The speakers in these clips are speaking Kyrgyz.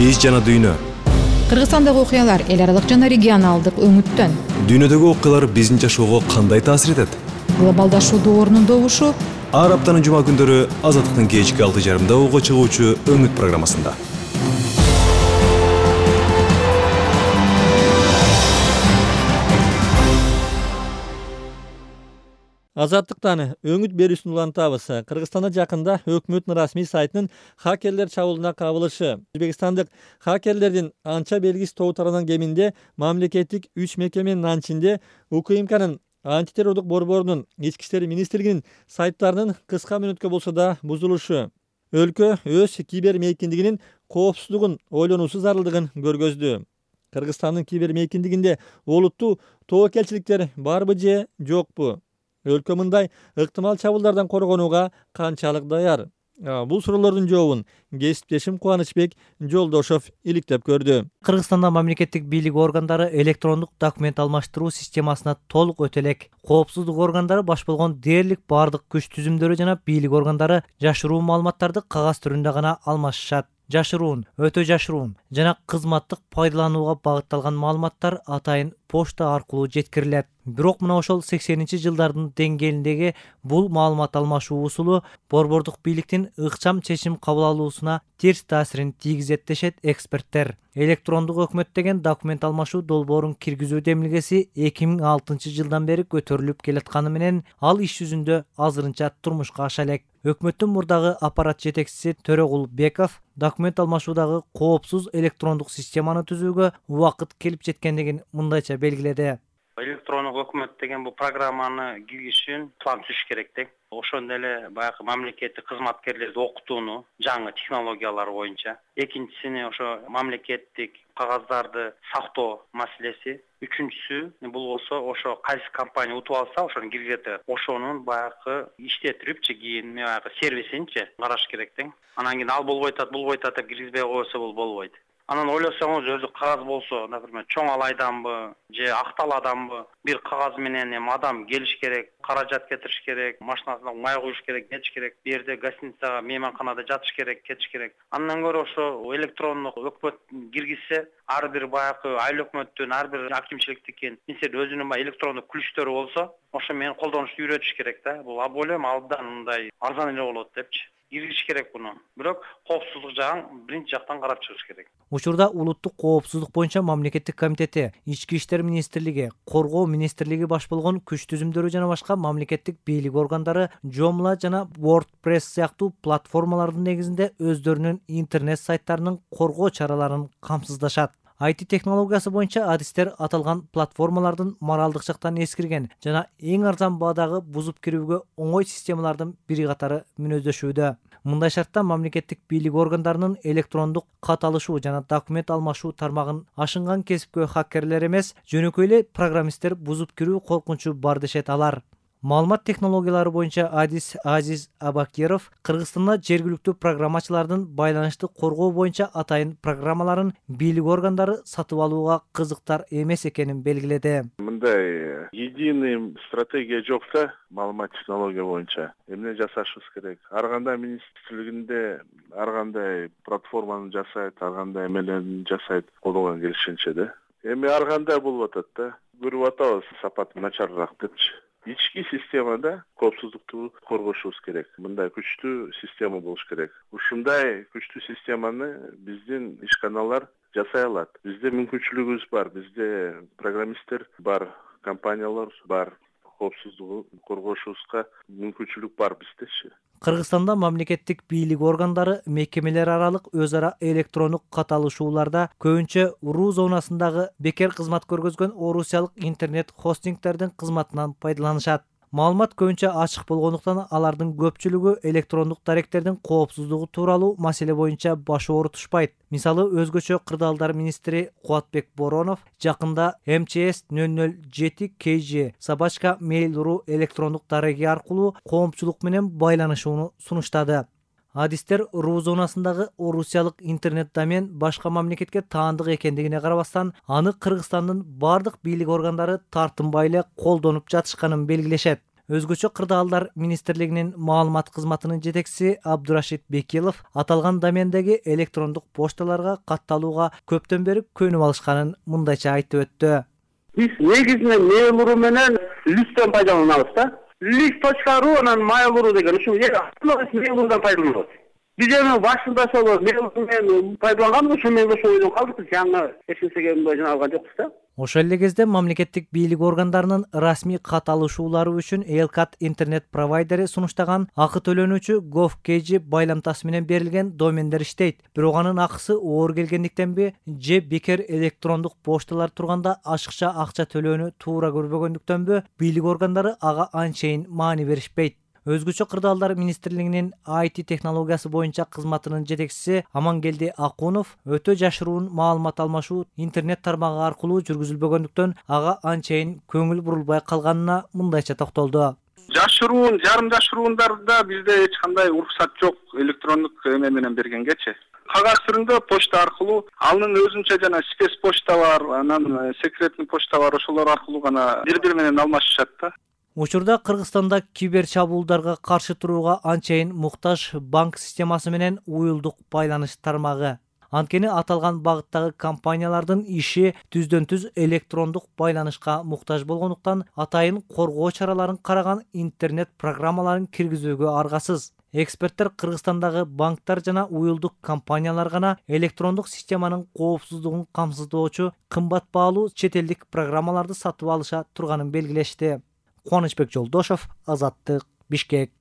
Биз жана дүйнө. Кыргызстандагы окуялар эл аралык жана регионалдык өңүттөн. Дүйнөдөгү окуялар биздин жашоого кандай таасир этет? Глобалдашуудун орнун добушу. Ар аптанын жума күндөрү Азаттыктын кечки 6:30 угу чыгуучу өңүт программасында. Азаттыктан өңүт берүүсүн улантабыз. Кыргызстанда жакында өкмөттүн расмий сайтынын хакерлер чабуулуна кабылышы. Өзбекстандык хакерлердин анча белгисиз тобу тарабынан кеминде мамлекеттик 3 мекеменин анчинде УКМКнын антитеррордук борборунун, Ички иштер министрлигинин сайттарынын кыска мүнөткө болсо да бузулушу. Өлкө өз кибер мейкиндигинин коопсуздугун ойлонуусу зарылдыгын көргөздү. Кыргызстандын кибер мейкиндигинде олуттуу тобокелчиликтер барбы же жокпу? Өлкө мындай ыктымал чабуулдардан коргонууга канчалык даяр? Бул суроолордун жообун кесиптешим Кубанычбек Жолдошов иликтеп көрдү. Кыргызстанда мамлекеттик бийлик органдары электрондук документ алмаштыруу системасына толук өтө элек. Коопсуздук органдары баш болгон дээрлик бардык күч түзүмдөрү жана бийлик органдары жашыруун маалыматтарды кагаз түрүндө гана алмашышат. Жашыруун, өтө жашыруун жана кызматтык пайдаланууга багытталган маалыматтар атайын почта аркылуу жеткирилет. Бирок мына ошол 80-жылдардын деңгээлиндеги бул маалымат алмашуу усулу борбордук бийликтин ыкчам чечим кабыл алуусуна терс таасирин тийгизет дешет эксперттер. Электрондук өкмөт деген документ алмашуу долбоорун киргизүү демилгеси 2006-жылдан бери көтөрүлүп келатканы менен ал иш жүзүндө азырынча турмушка аша элек. Өкмөттүн мурдагы аппарат жетекчиси Төрөгул Беков документ алмашуудагы коопсуз электрондук системаны түзүүгө убакыт келип жеткендигин мындайча белгиледи. Электрондук өкмөт деген бул программаны киргизиш үчүн план түзүш керек да. Ошондой эле баягы мамлекеттик кызматкерлерди окутууну жаңы технологиялар боюнча. Экинчисини ошо мамлекеттик кагаздарды сактоо маселеси. Үчүнчүсү бул болсо ошо кайсы компания утуп алса, ошону киргизет. Ошонун баягы иштетирип кийин баягы сервисинчи караш керек да. Анан кийин ал болбойт атат, бул болбойт атат, киргизбей койсо бул болбойт. Анан ойлосоңуз, өзү кагаз болсо, например, чоң алайданбы же акталаданбы, бир кагаз менен адам келиш керек, каражат кетириш керек, машинасына май куюш керек, кетиш керек, бу жерде гостиницага, мейманканада жатыш керек, кетиш керек. Андан көрө ошо электрондук өкмөт киргизсе, ар бир баягы айыл өкмөттүн, ар бир акимчиликтикин өзүнүн электрондук күлүштөрү болсо, ошо менен колдонушту үйрөтүш керек да. Бул ойлойм абдан мындай арзан эле болот депчи. Киргизиш керек буну. Бирок коопсуздук жагын биринчи жактан карап чыгыш керек. Учурда улуттук коопсуздук боюнча мамлекеттик комитети, Ички иштер министрлиги, Коргоо министрлиги баш болгон күч түзүмдөрү жана башка мамлекеттик бийлик органдары Joomla жана WordPress сыяктуу платформалардын негизинде өздөрүнүн интернет сайттарынын коргоо чараларын камсыздашат. IT технологиясы боюнча адистер аталган платформалардын моралдык жактан эскирген жана эң арзан баадагы бузуп кирүүгө оңой системалардын бири катары мүнөздөшүүдө. Мындай шартта мамлекеттик бийлик органдарынын электрондук кат алышуу жана документ алмашуу тармагын ашынган кесипкөй хакерлер эмес, жөнөкөй эле программисттер бузуп кирүү коркунучу бар дешет алар. Маалымат технологиялары боюнча адис Азиз Абакиров Кыргызстанда жергиликтүү программачылардын байланышты коргоо боюнча атайын программаларын бийлик органдары сатып алууга кызыктар эмес экенин белгиледи. Мындай единый стратегия жок да маалымат технология боюнча. Эмне жасашыбыз керек? Ар кандай министрлигинде ар кандай платформаны жасайт, ар кандай эмелерин жасайт, колдонгон келишинче да. Эми ар кандай болуп атат да. Көрүп атабыз сапаты начарыраак депчи. Ички системада коопсуздукту коргошубуз керек. Мындай күчтүү система болуш керек. Ушундай күчтүү системаны биздин ишканалар жасай алат. Бизде мүмкүнчүлүгүбүз бар, бизде программисттер бар, компаниялар бар. Коопсуздугу коргошубузга мүмкүнчүлүк бар биздечи. Кыргызстанда мамлекеттик бийлик органдары мекемелер аралык өз ара электрондук кат алышууларда көбүнчө РУ зонасындагы бекер кызмат көргөзгөн орусиялык интернет хостингтердин кызматынан пайдаланышат. Маалымат көбүнчө ачык болгондуктан алардын көпчүлүгү электрондук даректердин коопсуздугу тууралуу маселе боюнча баш оорутушпайт. Мисалы, өзгөчө кырдаалдар министри Кубатбек Боронов жакында МЧС 007 KG Собачка Mail.ru электрондук дареги аркылуу коомчулук менен байланышууну сунуштады. Адистер РУ зонасындагы орусиялык интернет домен башка мамлекетке таандык экендигине карабастан, аны Кыргызстандын бардык бийлик органдары тартынбай эле колдонуп жатышканын белгилешет. Өзгөчө кырдаалдар министрлигинин маалымат кызматынын жетекчиси Абдурашид Бекилов аталган домендеги электрондук пошталарга катталууга көптөн бери көнүп алышканын мындайча айтып өттү. Биз негизинен Mail.ru менен Lystен пайдаланабыз да. List.ru анан Mail.ru деген ушул Mail.ru'дан пайдаланабыз. Биз эми башында ошол Mail.ru менен пайдаланганбыз, ошол менен ошол ойдон калдык. Жаңы эч нерсеге мындай алган жокпуз да. Ошол эле кезде мамлекеттик бийлик органдарынын расмий кат алышуулары үчүн Элкат интернет провайдери сунуштаган акы төлөнүүчү gov.kg байламтасы менен берилген домендер иштейт. Бирок анын акысы оор келгендиктенби же бекер электрондук пошталар турганда ашыкча акча төлөөнү туура көрбөгөндүктөнбү бийлик органдары ага анчейин маани беришпейт. Өзгөчө кырдаалдар министрлигинин IT технологиясы боюнча кызматынын жетекчиси Амангелди Акунов өтө жашыруун маалымат алмашуу интернет тармагы аркылуу жүргүзүлбөгөндүктөн ага анчейин көңүл бурулбай калганына мындайча токтолду. Жашыруун, жарым жашыруундарда бизде эч кандай уруксат жок электрондук эме менен бергенгечи. Кагаз түрүндө почта аркылуу, анын өзүнчө жана спец почта бар, анан секретный почта бар, ошолор аркылуу гана бири-бири менен алмашышат да. Учурда Кыргызстанда кибер чабуулдарга каршы турууга анчейин муктаж банк системасы менен уюлдук байланыш тармагы. Анткени аталган багыттагы компаниялардын иши түздөн-түз электрондук байланышка муктаж болгондуктан атайын коргоо чараларын караган интернет программаларын киргизүүгө аргасыз. Эксперттер Кыргызстандагы банктар жана уюлдук компаниялар гана электрондук системанын коопсуздугун камсыздоочу кымбат баалуу чет элдик программаларды сатып алыша турганын белгилешти. Кубанычбек Жолдошов, Азаттык, Бишкек.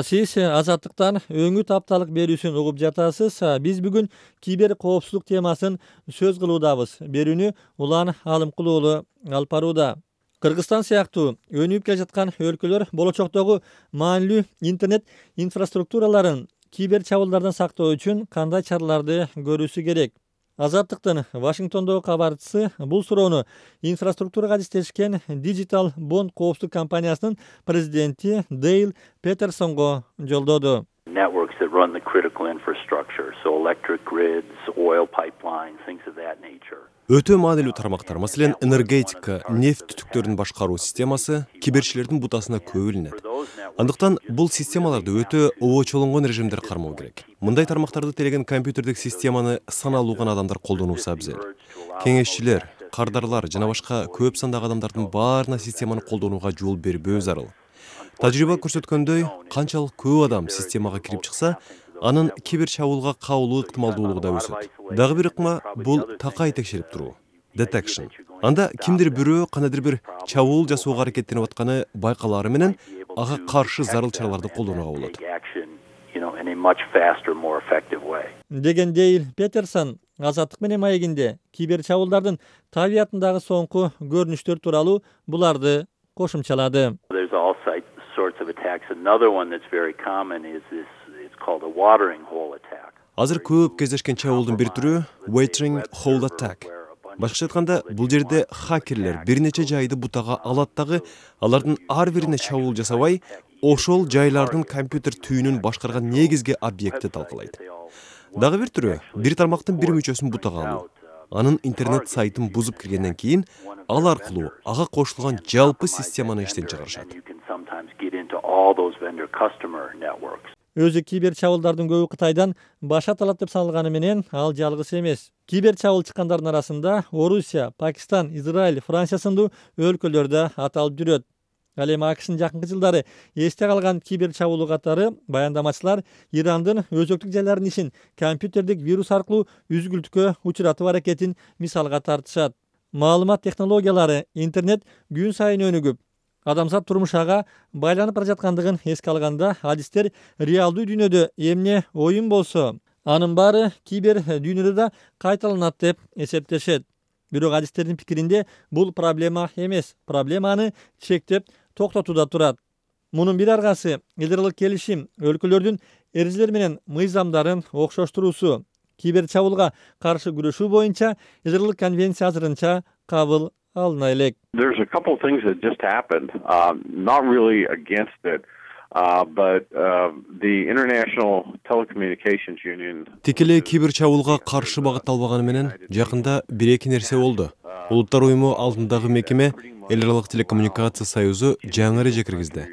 Сиз Азаттыктан өңүт апталык берүүсүн угуп жатасыз. Биз бүгүн кибер коопсуздук темасын сөз кылуудабыз. Берүүнү Улан Алымкул уулу алып барууда. Кыргызстан сыяктуу өнүгүп келе жаткан өлкөлөр болочоктогу маанилүү интернет инфраструктураларын кибер чабуулдардан сактоо үчүн кандай чараларды көрүүсү керек? Азаттыктын Вашингтондогу кабарчысы бул суроону инфраструктурага адистешкен Digital Bond коопсуздук компаниясынын президенти Дейл Петерсонго жолдоду. Networks that run the critical infrastructure, so electric grids, oil pipelines, things of that nature. Өтө маанилүү тармактар, маселен, энергетика, нефть түтүктөрүн башкаруу системасы киберчилердин бутасына көп илинет. Андыктан бул системаларды өтө обочолонгон режимдер кармоо керек. Мындай тармактарды телеген компьютердик системаны саналуу гана адамдар колдонуусу абзел. Кеңешчилер, кардарлар жана башка көп сандагы адамдардын баарына системаны колдонууга жол бербөө зарыл. Тажрыйба көрсөткөндөй, канчалык көп адам системага кирип чыкса, анын кибер чабуулга кабылуу ыктымалдуулугу да өсөт. Дагы бир ыкма бул такай текшерип туруу. Detection. Анда кимдир бирөө кандайдыр бир чабуул жасоого аракеттенип атканы байкалаары менен ага каршы зарыл чараларды колдонууга болот. Деген Дейл Петерсон Азаттык менен маегинде кибер чабуулдардын табиятындагы соңку көрүнүштөр тууралуу буларды кошумчалады. Азыр көп кездешкен чабуулдун бир түрү watering hole attack. Башкача айтканда, бул жерде хакерлер бир нече жайды бутага алат дагы, алардын ар бирине чабуул жасабай, ошол жайлардын компьютер түйүнүн башкарган негизги объектти талкалайт. Дагы бир түрү бир тармактын бир мүчөсүн бутага алуу. Анын интернет сайтын бузуп киргенден кийин, ал аркылуу ага кошулган жалпы системаны иштен чыгарышат. Өзү кибер чабуулдардын көбү Кытайдан баш аталат деп саналганы менен ал жалгыз эмес. Кибер чабуул чыккандардын арасында Орусия, Пакистан, Израиль, Франция сындуу өлкөлөрдө аталып жүрөт. Ал эми АКШнын жакынкы жылдары эсте калган кибер чабуулу катары баяндамачылар Ирандын өзөктүк жайлардын ишин компьютердик вирус аркылуу үзгүлтүккө учуратуу аракетин мисалга тартышат. Маалымат технологиялары, интернет күн сайын өнүгүп, адамзат турмуш ага байланып бара жаткандыгын эске алганда, адистер реалдуу дүйнөдө эмне оюн болсо, анын баары кибер дүйнөдө да кайталанат деп эсептешет. Бирок адистердин пикиринде бул проблема эмес, проблеманы чектеп токтотууда турат. Мунун бир аргасы элдералык келишим, өлкөлөрдүн эрежелери менен мыйзамдарын окшоштуруусу. Кибер чабуулга каршы күрөшүү боюнча элдералык конвенция азырынча кабыл алына элек. There's a couple of things that just happened, not really against it, but the International Telecommunications Union. Тикелей кибер чабуулга каршы багытталбаганы менен жакында бир-эки нерсе болду. Улуттар уюму алдындагы мекеме Эл аралык телекоммуникация союзу жаңы эреже киргизди.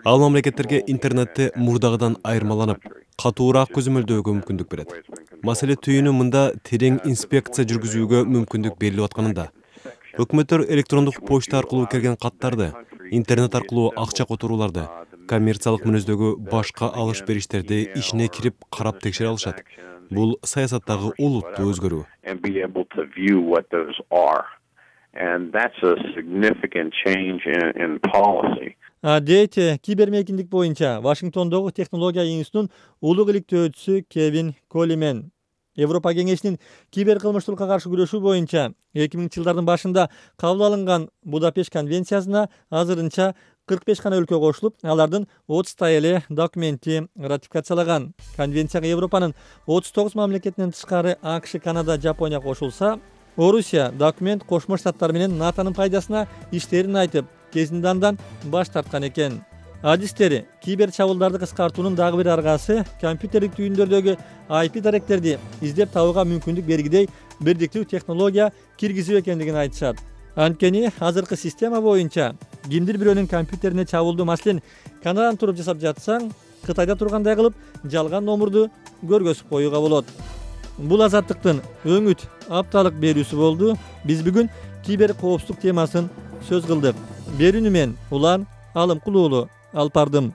Ал мамлекеттерге интернетти мурдагыдан айырмаланып, катуураак көзөмөлдөөгө мүмкүндүк берет. Маселе түйүнү мында терең инспекция жүргүзүүгө мүмкүндүк берилип атканында. Өкмөттөр электрондук почта аркылуу келген каттарды, интернет аркылуу акча которууларды, коммерциялык мүнөздөгү башка алыш-бериштерди ишине кирип карап текшере алышат. Бул саясаттагы олуттуу өзгөрүү. And that's a significant change in policy. Дейт кибермейкиндик боюнча Вашингтондогу технология институтунун улук иликтөөчүсү Кевин Колимен. Европа кеңешинин киберкылмыштуулукка каршы күрөшүү боюнча 2000-жылдардын башында кабыл алынган Будапешт конвенциясына азырынча 45 гана өлкө кошулуп, алардын 30 эле документи ратификациялаган. Конвенцияга Европанын 39 мамлекетинен тышкары АКШ, Канада, Жапония кошулса, Орусия документ Кошмо Штаттар менен НАТОнун пайдасына иштерин айтып, кезинде андан баш тарткан экен. Адистери кибер чабуулдарды кыскартуунун дагы бир аргасы компьютерлик түйүндөрдөгү IP даректерди издеп табууга мүмкүндүк бергидей бирдиктүү технология киргизүү экендигин айтышат. Анткени азыркы система боюнча кимдир бирөөнүн компьютерине чабуулду, маселен, Канададан туруп жасап жатсаң, Кытайда тургандай кылып жалган номурду көргөзүп коюуга болот. Бул азаттыктын өңүт апталык берүүсү болду. Биз бүгүн кибер коопсуздук темасын сөз кылдык. Берүүнү мен Улан Алымкулуулу алып бардым.